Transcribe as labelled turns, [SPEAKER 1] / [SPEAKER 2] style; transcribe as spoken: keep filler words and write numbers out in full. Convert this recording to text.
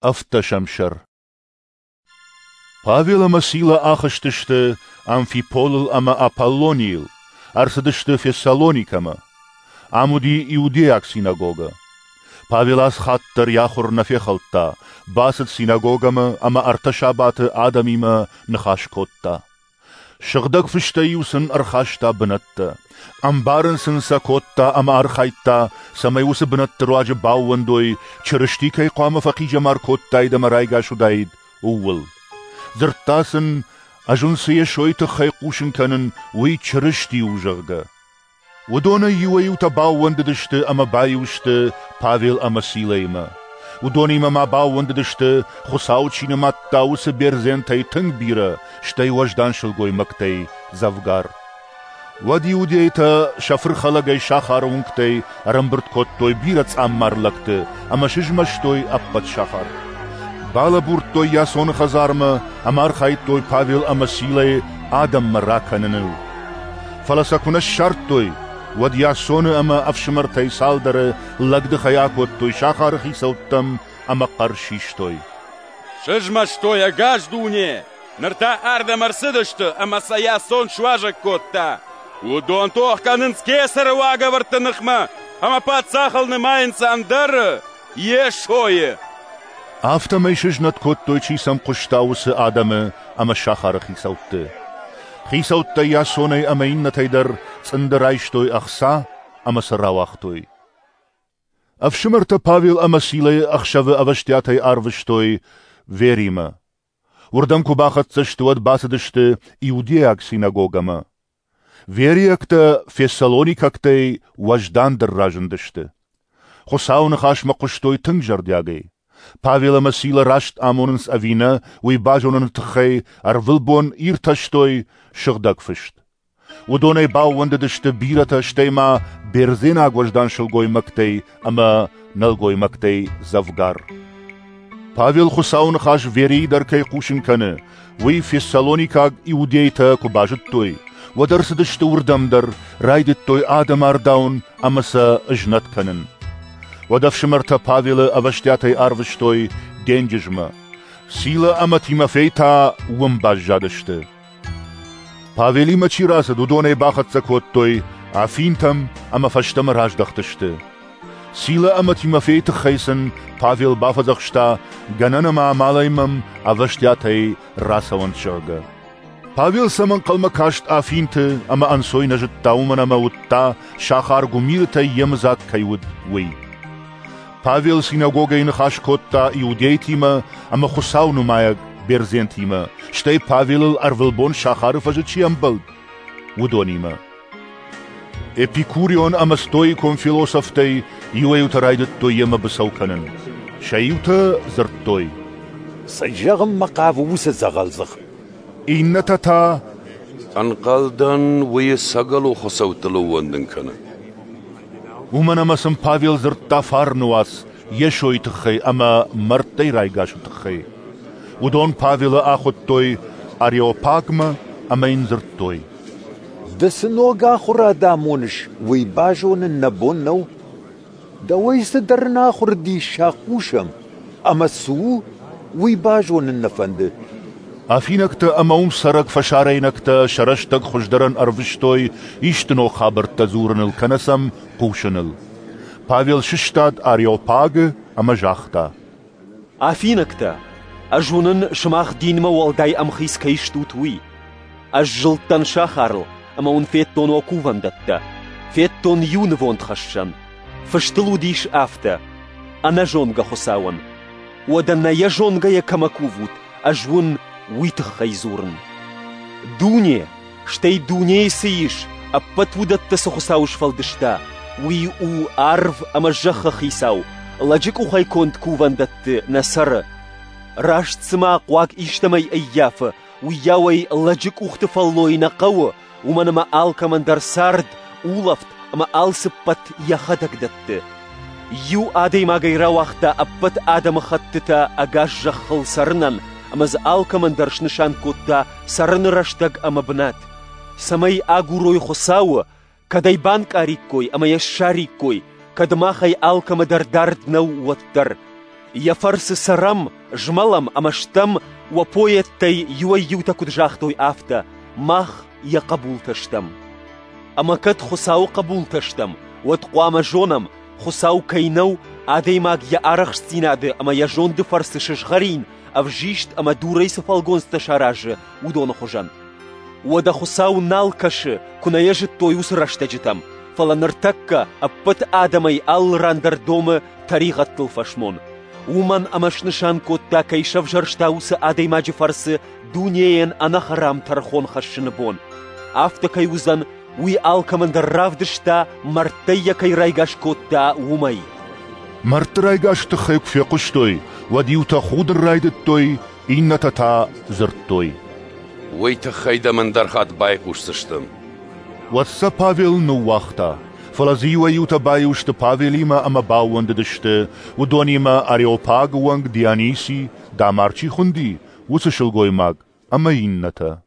[SPEAKER 1] Ӕвддӕсӕм сӕр. Павел ӕмӕ Сила ахызтысты Амфиполыл ӕмӕ Аполлонийыл, ӕрцыдысты Фессалоникӕмӕ. Ам уыди иудейаг синагогӕ. Павел ацы хатт дӕр йӕ ахуыр нӕ фехӕлдта, бацыд синагогӕмӕ ӕмӕ ӕртӕ сабаты адӕмимӕ ныхас кодта. Сыгъдӕг Фыстӕй-иу сын ӕрхаста бынӕттӕ, ӕмбарын сын сӕ кодта ӕмӕ архайдта, цӕмӕй уыцы бынӕтты руаджы баууӕндой, Чырысти кӕй хъуамӕ фӕхъизӕмар кодтаид ӕмӕ райгас уыдаид, ууыл. Дзырдта сын, ӕз уын цы Йесойы тыххӕй хъусын кӕнын, уый Чырысти у, зӕгъгӕ. Уыдонӕй иуӕй-иутӕ баууӕндыдысты ӕмӕ баиу сты Павел ӕмӕ Силӕимӕ. Уыдонимӕ ма баууӕндыдысты, Хуыцау чи нымадта, уыцы бердзентӕй тынг бирӕ, стӕй уӕздан сылгоймӕгтӕй дзӕвгар. Уӕд иудейтӕ сӕ фырхӕлӕгӕй сахары уынгтӕй ӕрӕмбырд кодтой бирӕ цъаммар лӕгты ӕмӕ сызмӕстой ӕппӕт сахар. Балӕбурдтой Иасоны хӕдзармӕ ӕмӕ архайдтой Павел ӕмӕ Силӕйы адӕммӕ ракӕныныл. Фӕлӕ сӕ куы нӕ ссардтой, уӕд Иасоны ӕмӕ ӕфсымӕртӕй цалдӕры лӕгдыхӕй акодтой сахары хицӕуттӕм ӕмӕ хъӕр систой.
[SPEAKER 2] Сызмӕстой ӕгас дуне! Ныр та ардӕм ӕрцыдысты ӕмӕ сӕ Иасон суазӕг кодта. Уыдон тох кӕнынц кесӕры уагӕвӕрдты ныхмӕ ӕмӕ паддзахыл нымайынц ӕндӕры, Йесойы.
[SPEAKER 1] Афтӕмӕй сызнӕт кодтой, чи сӕм хъуыста, уыцы адӕмы ӕмӕ сахары хицӕутты. Хицӕуттӕ Иасонӕй ӕмӕ иннӕтӕй дӕр цъынды райстой ӕхца ӕмӕ сӕ рауагътой. Ӕфсымӕртӕ Павел ӕмӕ Силӕйы ӕхсӕвы ӕвӕстиатӕй арвыстой Веримӕ. Уырдӕм куы бахӕццӕ сты, уӕд бацыдысты иудейаг синагогӕмӕ. Вериӕгтӕ фессалоникӕгтӕй уӕздандӕр разындысты. Хуыцауы ныхасмӕ хъуыстой тынг зӕрдиагӕй. Павел ӕмӕ Сила раст амонынц ӕви нӕ, уый базоныны тыххӕй ӕрвылбон иртӕстой Сыгъдӕг Фыст. Уыдонӕй баууӕндыдысты бирӕтӕ, стӕй ма бердзенаг уӕздан сылгоймӕгтӕй ӕмӕ нӕлгоймӕгтӕй дзӕвгар. Павел Хуыцауы ныхас Верийы дӕр кӕй хъусын кӕны, уый фессалоникаг иудейтӕ куы базыдтой, уӕд ӕрцыдысты уырдӕм дӕр, райдыдтой адӕмы ардауын ӕмӕ сӕ ызнӕт кӕнын. Уӕд ӕфсымӕртӕ Павелы ӕвӕстиатӕй ӕрвыстой денджызмӕ. Сила ӕмӕ Тимофей та уым баззадысты. Павелимӕ чи рацыд, уыдонӕй бахӕццӕ кодтой Афинтӕм ӕмӕ фӕстӕмӕ раздӕхтысты. Сила ӕмӕ Тимофейы тыххӕй сын Павел бафӕдзӕхста, гӕнӕн ӕмӕ амалӕй мӕм ӕвӕстиатӕй рацӕуӕнт, зӕгъгӕ. Павел сӕм ӕнхъӕлмӕ каст Афинты ӕмӕ ӕнцой нӕ зыдта, уымӕн ӕмӕ уыдта, сахар гуымирытӕй йемыдзаг кӕй уыд, уый. Павел синагогӕйы ныхас кодта иудейтимӕ ӕмӕ Хуыцау нымайӕг бердзентимӕ, стӕй Павелыл ӕрвылбон сахары фӕзы чи ӕмбӕлд, уыдонимӕ. Эпикурион ӕмӕ стоикон философтӕй иуӕй-иутӕ райдыдтой йемӕ быцӕу кӕнын. Сӕ иутӕ дзырдтой:
[SPEAKER 3] Цы зӕгъынмӕ хъавы уыцы дзӕгъӕлдзых?
[SPEAKER 1] Иннӕтӕ та:
[SPEAKER 4] Ӕнхъӕлдӕн, уый ӕцӕгӕлон хуыцӕуттыл ӕууӕндын кӕны.
[SPEAKER 1] Уымӕн ӕмӕ сын Павел дзырдта фарны уац Йесойы тыххӕй ӕмӕ мӕрдтӕй райгасы тыххӕй. Уыдон Павелы ахуыдтой Ареопагмӕ ӕмӕ йын дзырдтой:
[SPEAKER 3] Ды цы ног ахуырад амоныс, уый базонын нӕ бон нӕу. Дӕуӕй цыдӕр ӕнахуыр диссаг хъусӕм, ӕмӕ цы у, уый базонын нӕ фӕнды.
[SPEAKER 1] Афинӕгтӕ ӕмӕ уым цӕрӕг фӕсарӕйнӕгтӕ сӕ рӕстӕг хуыздӕрӕн ӕрвыстой исты ног хабӕрттӕ дзурыныл кӕнӕ сӕм хъусыныл. Павел сыстад Ареопагы ӕмӕ загъта:
[SPEAKER 5] Афинӕгтӕ, ӕз уынын, сымах динмӕ уӕлдай ӕмхиц кӕй стут, уый. Ӕз зылдтӕн сахарыл ӕмӕ уын федтон уӕ кувӕндӕттӕ. Федтон иу нывондхӕссӕн. Фыст ыл уыдис афтӕ: ӕнӕзонгӕ Хуыцауӕн. Уӕдӕ нӕ йӕ зонгӕйӕ кӕмӕ кувут, ӕз уын уый тыххӕй дзурын. Дуне, стӕй дунейы цы ис, ӕппӕт уыдӕттӕ цы Хуыцау сфӕлдыста, уый у арв ӕмӕ зӕххы хицау, лӕджы къухӕй конд кувӕндӕтты нӕ цӕры. Раст цыма хъуаг истӕмӕй ӕййафы, уыйау ӕй лӕджы къухты фӕллой нӕ хъӕуы, уымӕн ӕмӕ алкӕмӕн дӕр цард, улӕфт ӕмӕ алцыппӕт йӕхӕдӕг дӕтты. Иу адӕймагӕй рауагъта ӕппӕт адӕмыхӕттытӕ ӕгас зӕххыл цӕрынӕн ӕмӕ дзы алкӕмӕн дӕр снысан кодта цӕрыны рӕстӕг ӕмӕ бынат, цӕмӕй агурой Хуыцауы, кӕд ӕй банкъариккой ӕмӕ йӕ ссариккой, кӕд махӕй алкӕмӕ дӕр дард нӕу, уӕддӕр. Йӕ фӕрцы цӕрӕм, змӕлӕм ӕмӕ стӕм, уӕ поэттӕй иуӕй-иутӕ куыд загътой, афтӕ: мах йӕ хъӕбултӕ стӕм. Ӕмӕ кӕд Хуыцауы хъӕбултӕ стӕм, уӕд хъуамӕ зонӕм, Хуыцау кӕй нӕу, адӕймаг йӕ арӕхстдзинады ӕмӕ йӕ зонды фӕрцы сызгъӕрин, ӕвзист ӕмӕ дурӕй цы фӕлгонцтӕ саразы, уыдоны хуызӕн. Уӕдӕ Хуыцау нал кӕсы, куы нӕ йӕ зыдтой уыцы рӕстӕджытӕм, фӕлӕ ныртӕккӕ ӕппӕт адӕмӕй алы ран дӕр домы тӕригъӕдтыл фӕсмон. Уымӕн ӕмӕ снысан кодта, кӕй сӕвзӕрста уыцы адӕймаджы фӕрцы дунейӕн ӕнӕхӕрам тӕрхон хӕссыны бон. Афтӕ кӕй уыдзӕн, уый алкӕмӕн дӕр равдыста, мӕрдтӕй йӕ кӕй райгас кодта, уымӕй.
[SPEAKER 1] Мӕрдты райгасы тыххӕй куы фехъуыстой, уӕд иутӕ худын райдыдтой, иннӕтӕ та дзырдтой:
[SPEAKER 4] Уый тыххӕй дӕм ӕндӕр хатт байхъусдзыстӕм.
[SPEAKER 1] Уӕд сӕ Павел ныууагъта, фӕлӕ дзы иуӕй-иутӕ баиу сты Павелимӕ ӕмӕ баууӕндыдысты, уыдонимӕ Ареопагы уӕнг Диониси, Дамар чи хуынди, уыцы сылгоймаг, ӕмӕ иннӕтӕ.